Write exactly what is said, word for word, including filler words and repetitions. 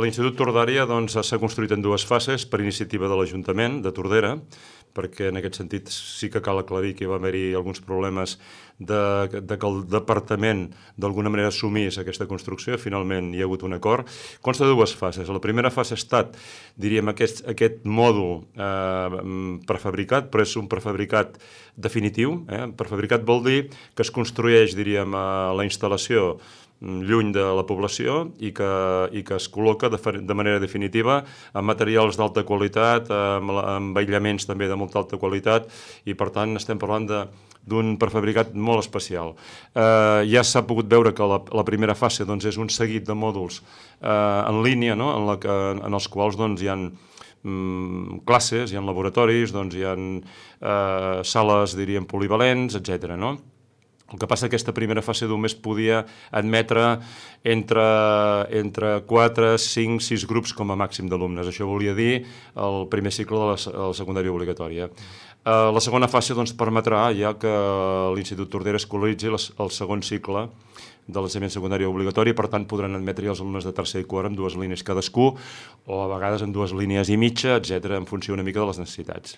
l'Institut Tordària s'ha construït en dues fases per iniciativa de l'Ajuntament de Tordera, perquè en aquest sentit sí que cal aclarir que hi va haver-hi alguns problemes de, de que el departament d'alguna manera assumís aquesta construcció. Finalment hi ha hagut un acord. Consta de dues fases. La primera fase ha estat, diríem, aquest, aquest mòdul eh, prefabricat, però és un prefabricat definitiu. Eh? Prefabricat vol dir que es construeix, diríem, a la instal·lació lluny de la població i que, i que es col·loca de, de manera definitiva amb materials d'alta qualitat, amb, amb aïllaments també de molta alta qualitat, i per tant estem parlant de d'un prefabricat molt especial. Eh, ja s'ha pogut veure que la, la primera fase doncs, és un seguit de mòduls eh, en línia, no? en, la que, en els quals doncs, hi ha mm, classes, hi ha laboratoris, doncs, hi ha eh, sales, diríem, polivalents, etcètera, no? El que passa que aquesta primera fase només podia admetre entre, entre quatre, cinc, sis grups com a màxim d'alumnes. Això volia dir el primer cicle de la, la secundària obligatòria. Uh, la segona fase doncs, permetrà ja que l'Institut Tordera escolaritzi el, el segon cicle de l'ensenyament secundari obligatori, per tant podran admetre els alumnes de tercer i quart amb dues línies cadascú, o a vegades amb dues línies i mitja, etcètera, en funció una mica de les necessitats.